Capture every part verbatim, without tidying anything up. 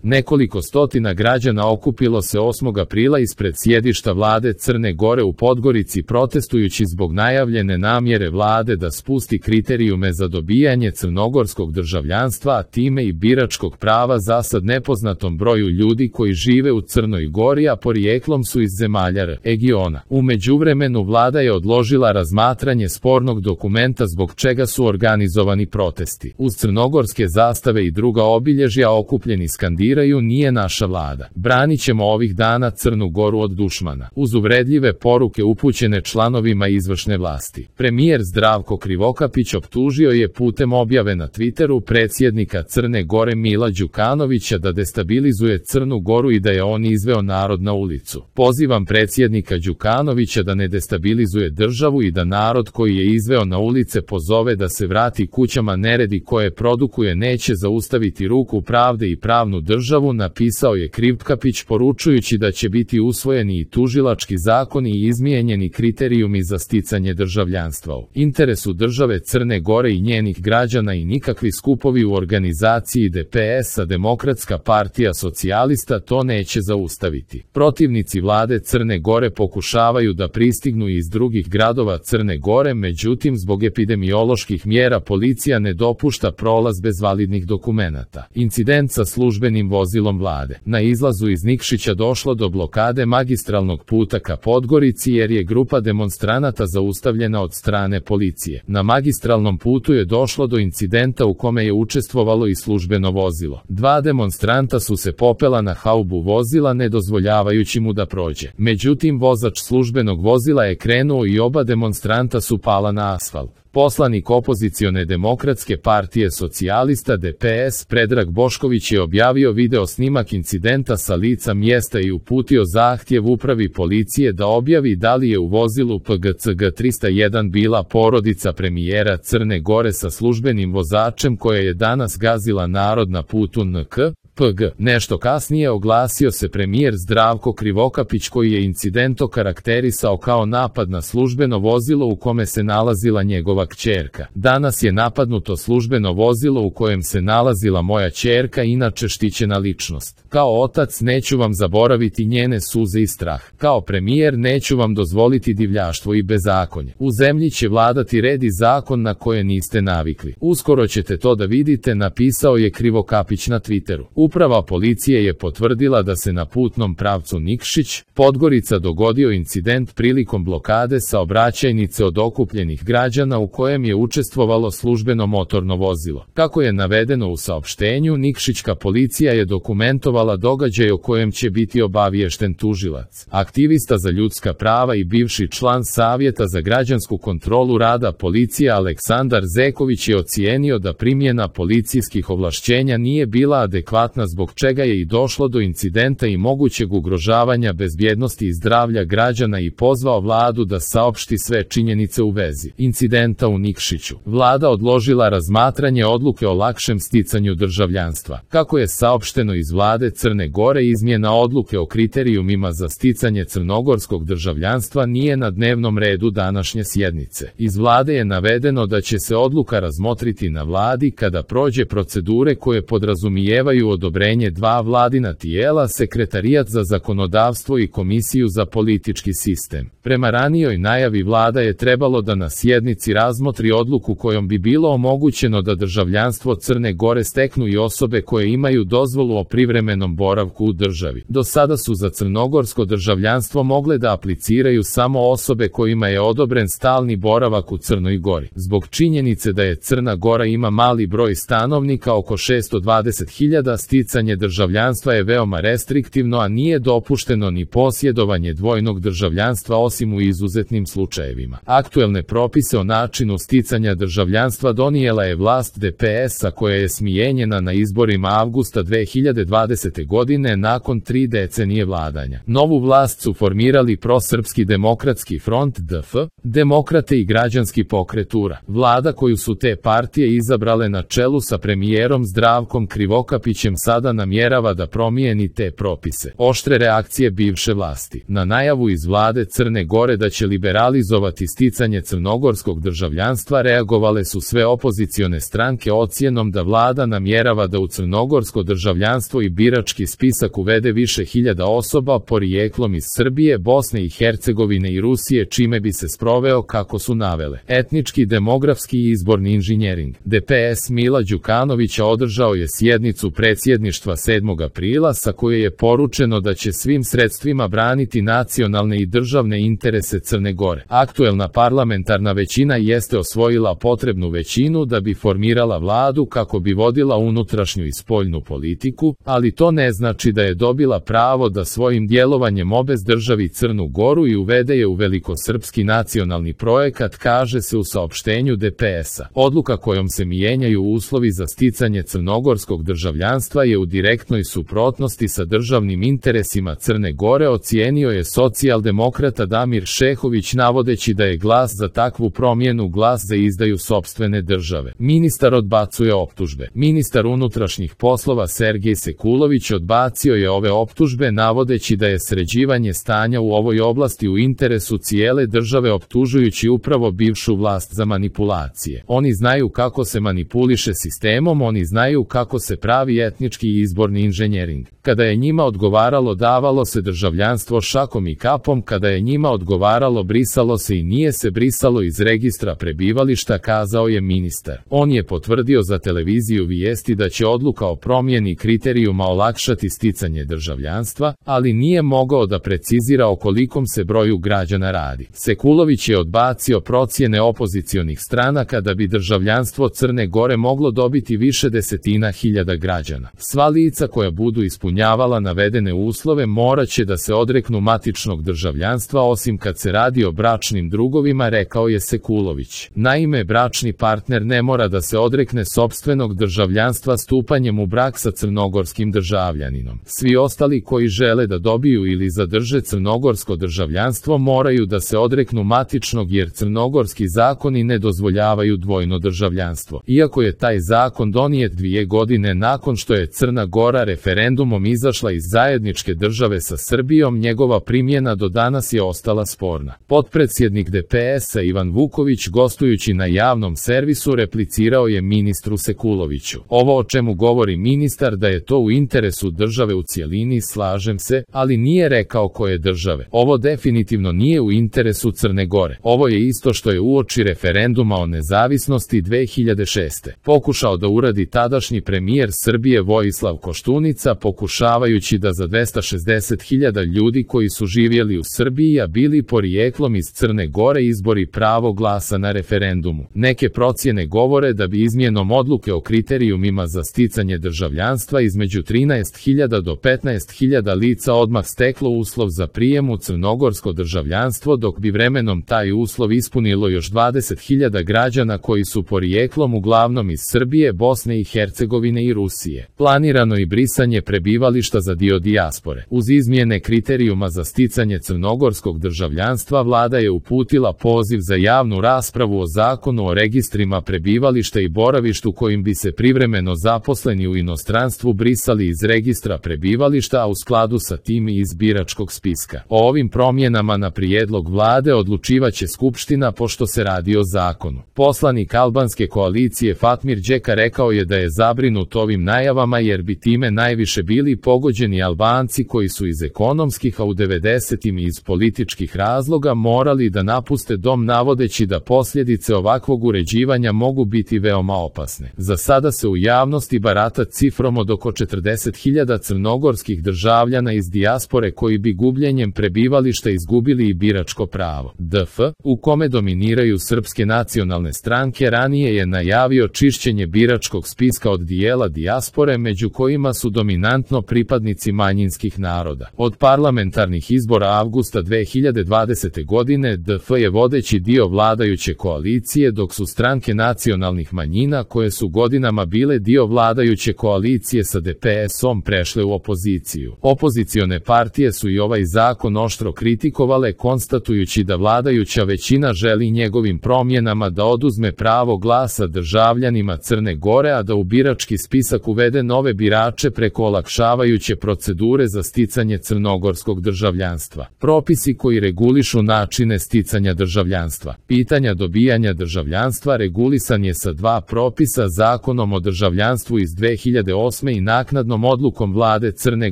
Nekoliko stotina građana okupilo se osmog aprila ispred sjedišta vlade Crne Gore u Podgorici protestujući zbog najavljene namjere vlade da spusti kriterijume za dobijanje crnogorskog državljanstva, a time i biračkog prava zasad nepoznatom broju ljudi koji žive u Crnoj Gori, a porijeklom su iz zemalja regiona. U međuvremenu vlada je odložila razmatranje spornog dokumenta zbog čega su organizovani protesti. Uz crnogorske zastave i druga obilježja okupljeni skandiraju "Nije naša vlada. Branit ćemo ovih dana Crnu Goru od dušmana", uz uvredljive poruke upućene članovima izvršne vlasti. Premijer Zdravko Krivokapić optužio je putem objave na Twitteru predsjednika Crne Gore Mila Đukanovića da destabilizuje Crnu Goru i da je on izveo narod na ulicu. "Pozivam predsjednika Đukanovića da ne destabilizuje državu i da narod koji je izveo na ulice pozove da se vrati kućama. Neredi koje produkuje neće zaustaviti ruku pravde i pravnu državu", napisao je Krivokapić, poručujući da će biti usvojeni i tužilački zakoni i izmijenjeni kriterijumi za sticanje državljanstva u interesu države Crne Gore i njenih građana i nikakvi skupovi u organizaciji D P S-a Demokratska partija socijalista to neće zaustaviti. Protivnici vlade Crne Gore pokušavaju da pristignu iz drugih gradova Crne Gore, međutim zbog epidemioloških mjera policija ne dopušta prolaz bez validnih dokumenata. Incident sa službenim vozilom vlade. Na izlazu iz Nikšića došlo do blokade magistralnog puta ka Podgorici jer je grupa demonstranata zaustavljena od strane policije. Na magistralnom putu je došlo do incidenta u kome je učestvovalo i službeno vozilo. Dva demonstranta su se popela na haubu vozila ne dozvoljavajući mu da prođe. Međutim, vozač službenog vozila je krenuo i oba demonstranta su pala na asfalt. Poslanik opozicione Demokratske partije socijalista D P S Predrag Bošković je objavio video snimak incidenta sa lica mjesta i uputio zahtjev upravi policije da objavi da li je u vozilu P G C G trista jedan bila porodica premijera Crne Gore sa službenim vozačem koja je danas gazila narod na putu N K P G. Nešto kasnije oglasio se premijer Zdravko Krivokapić koji je incident okarakterisao kao napad na službeno vozilo u kome se nalazila njegova kćerka. "Danas je napadnuto službeno vozilo u kojem se nalazila moja kćerka, inače štićena ličnost. Kao otac neću vam zaboraviti njene suze i strah. Kao premijer neću vam dozvoliti divljaštvo i bezakonje. U zemlji će vladati red i zakon na koje niste navikli. Uskoro ćete to da vidite", napisao je Krivokapić na Twitteru. Uprava policije je potvrdila da se na putnom pravcu Nikšić Podgorica dogodio incident prilikom blokade saobraćajnice od okupljenih građana u kojem je učestvovalo službeno motorno vozilo. Kako je navedeno u saopštenju, nikšićka policija je dokumentovala događaj o kojem će biti obaviješten tužilac. Aktivista za ljudska prava i bivši član Savjeta za građansku kontrolu rada policije Aleksandar Zeković je ocijenio da primjena policijskih ovlašćenja nije bila adekvatna, zbog čega je i došlo do incidenta i mogućeg ugrožavanja bezbjednosti i zdravlja građana i pozvao vladu da saopšti sve činjenice u vezi incidenta u Nikšiću. Vlada odložila razmatranje odluke o lakšem sticanju državljanstva. Kako je saopšteno iz vlade Crne Gore, izmjena odluke o kriterijumima za sticanje crnogorskog državljanstva nije na dnevnom redu današnje sjednice. Iz vlade je navedeno da će se odluka razmotriti na vladi kada prođe procedure koje podrazumijevaju odobrenje dva vladina tijela, Sekretarijat za zakonodavstvo i Komisiju za politički sistem. Prema ranijoj najavi vlada je trebalo da na sjednici razmotri odluku kojom bi bilo omogućeno da državljanstvo Crne Gore steknu i osobe koje imaju dozvolu o privremenom boravku u državi. Do sada su za crnogorsko državljanstvo mogle da apliciraju samo osobe kojima je odobren stalni boravak u Crnoj Gori. Zbog činjenice da je Crna Gora ima mali broj stanovnika, oko šesto dvadeset hiljada, sticanje državljanstva je veoma restriktivno, a nije dopušteno ni posjedovanje dvojnog državljanstva osim u izuzetnim slučajevima. Aktuelne propise o načinu sticanja državljanstva donijela je vlast D P S-a koja je smijenjena na izborima avgusta dve hiljade dvadesete godine nakon tri decenije vladanja. Novu vlast su formirali Prosrpski demokratski front D F, Demokrate i Građanski pokret U R A. Vlada koju su te partije izabrale na čelu sa premijerom Zdravkom Krivokapićem sada namjerava da promijeni te propise. Oštre reakcije bivše vlasti. Na najavu iz vlade Crne Gore da će liberalizovati sticanje crnogorskog državljanstva reagovale su sve opozicione stranke ocjenom da vlada namjerava da u crnogorsko državljanstvo i birački spisak uvede više hiljada osoba porijeklom iz Srbije, Bosne i Hercegovine i Rusije, čime bi se sproveo, kako su navele, etnički, demografski i izborni inženjering. D P S Mila Đukanovića održao je sjednicu predsjedništva sedmog aprila sa koje je poručeno da će svim sredstvima braniti nacionalne i državne interese Crne Gore. Aktuelna parlamentarna većina jeste osvojila potrebnu većinu da bi formirala vladu kako bi vodila unutrašnju i spoljnu politiku, ali to ne znači da je dobila pravo da svojim djelovanjem obez državi Crnu Goru i uvede je u velikosrpski nacionalni projekat, kaže se u saopštenju D P S-a. Odluka kojom se mijenjaju uslovi za sticanje crnogorskog državljanstva je u direktnoj suprotnosti sa državnim interesima Crne Gore, ocijenio je socijaldemokrata Damir Šehović navodeći da je glas za takvu promjenu glas za izdaju sopstvene države. Ministar odbacuje optužbe. Ministar unutrašnjih poslova Sergej Sekulović odbacio je ove optužbe navodeći da je sređivanje stanja u ovoj oblasti u interesu cijele države, optužujući upravo bivšu vlast za manipulacije. Oni znaju kako se manipuliše sistemom, oni znaju kako se pravi etnički i izborni inženjering. Kada je njima odgovaralo, davalo se državljanstvo šakom i kapom, kada je njima odgovaralo, brisalo se i nije se brisalo iz registra prebivališta, kazao je ministar. On je potvrdio za televiziju Vijesti da će odluka o promjeni kriterijuma olakšati sticanje državljanstva, ali nije mogao da precizira o kolikom se broju građana radi. Sekulović je odbacio procjene opozicionih stranaka da bi državljanstvo Crne Gore moglo dobiti više desetina hiljada građana. Sva lica koja budu ispunjavala navedene uslove morat će da se odreknu matičnog državljanstva osim kad se radi o bračnim drugovima, rekao je Sekulović. Naime, bračni partner ne mora da se odrekne sopstvenog državljanstva stupanjem u brak sa crnogorskim državljaninom. Svi ostali koji žele da dobiju ili zadrže crnogorsko državljanstvo moraju da se odreknu matičnog, jer crnogorski zakoni ne dozvoljavaju dvojno državljanstvo. Iako je taj zakon donijet dvije godine nakon što je Crna Gora referendumom izašla iz zajedničke države sa Srbijom, njegova primjena do danas je ostala sporna. Potpredsjednik D P S-a Ivan Vuković, gostujući na javnom servisu, replicirao je ministru Sekuloviću. Ovo o čemu govori ministar da je to u interesu države u cjelini, slažem se, ali nije rekao koje države. Ovo definitivno nije u interesu Crne Gore. Ovo je isto što je uoči referenduma o nezavisnosti dve hiljade šeste. pokušao da uradi tadašnji premijer Srbije Vojislav Koštunica, pokušavajući da za dvesta šezdeset hiljada ljudi koji su živjeli u Srbiji a bili porijeklom iz Crne Gore izbori pravo glasa na referendumu. Neke procjene govore da bi izmjenom odluke o kriterijumima za sticanje državljanstva između trinaest hiljada do petnaest hiljada lica odmah steklo uslov za prijem u crnogorsko državljanstvo, dok bi vremenom taj uslov ispunilo još dvadeset hiljada građana koji su porijeklom uglavnom iz Srbije, Bosne i Hercegovine i Rusije. Planirano i brisanje prebivališta za dio dijaspore. Uz izmjene kriterijuma za sticanje crnogorskog državljanstva, vlada je uputila poziv za javnu raspravu o zakonu o registrima prebivališta i boravištu kojim bi se privremeno zaposleni u inostranstvu brisali iz registra prebivališta, a u skladu sa tim i iz biračkog spiska. O ovim promjenama na prijedlog vlade odlučivaće Skupština, pošto se radi o zakonu. Poslanik albanske koalicije Fatmir Đeka rekao je da je zabrinut ovim najavama jer bi time najviše bili pogođeni Albanci koji su iz ekonomskih, a u devedesetim i iz političkih razloga morali da napuste dom, navodeći da posljedice ovakvog uređivanja mogu biti veoma opasne. Za sada se u javnosti barata cifrom od oko četrdeset hiljada crnogorskih državljana iz dijaspore koji bi gubljenjem prebivališta izgubili i biračko pravo. D F, u kome dominiraju srpske nacionalne stranke, ranije je najavio čišćenje biračkog spiska od dijela dijaspore, među kojima su dominantno pripadnici manjinskih naroda. Od parlamentarnih izbora avgusta dve hiljade dvadesete godine D F je vodeći dio vladajuće koalicije, dok su stranke nacionalnih manjina koje su godinama bile dio vladajuće koalicije sa D P S-om prešle u opoziciju. Opozicione partije su i ovaj zakon oštro kritikovale, konstatujući da vladajuća većina želi njegovim promjenama da oduzme pravo glasa državljanima Crne Gore, a da u birački spisak uvede nove birače preko olakšavajuće procedure za sticanje crnogorskog državljanstva. Propisi koji regulišu načine sticanja državljanstva. Pitanja dobijanja državljanstva regulisan je sa dva propisa, Zakonom o državljanstvu iz dve hiljade osme i naknadnom odlukom vlade Crne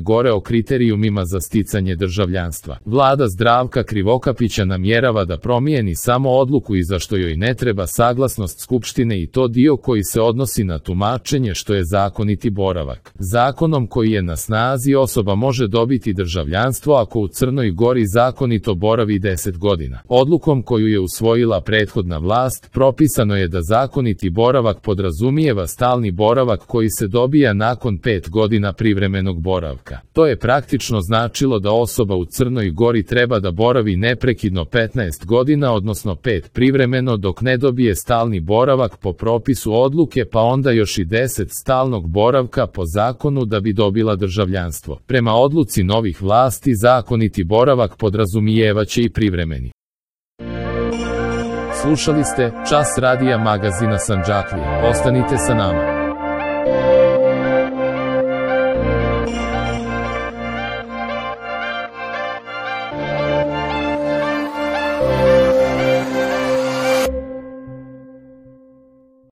Gore o kriterijumima za sticanje državljanstva. Vlada Zdravka Krivokapića namjerava da promijeni samo odluku i za što joj ne treba saglasnost Skupštine, i to dio koji se odnosi na tumačenje što je zakoniti boravak. Zakonom koji je na snazi osoba može dobiti državljanstvo ako u Crnoj Gori zakonito boravi deset godina. Odlukom koju je usvojila prethodna vlast propisano je da zakoniti boravak podrazumijeva stalni boravak koji se dobija nakon pet godina privremenog boravka. To je praktično značilo da osoba u Crnoj Gori treba da boravi neprekidno petnaest godina, odnosno pet privremeno, dok ne dobije stalni boravak po propisu odluke, pa onda još i deset stalnog boravka po zakonu da bi dobila državljanstvo. Prema odluci novih vlasti zakoniti boravak podrazumijevaće i privremeni. Slušali ste Čas radija magazina Sandžaklija. Ostanite sa nama.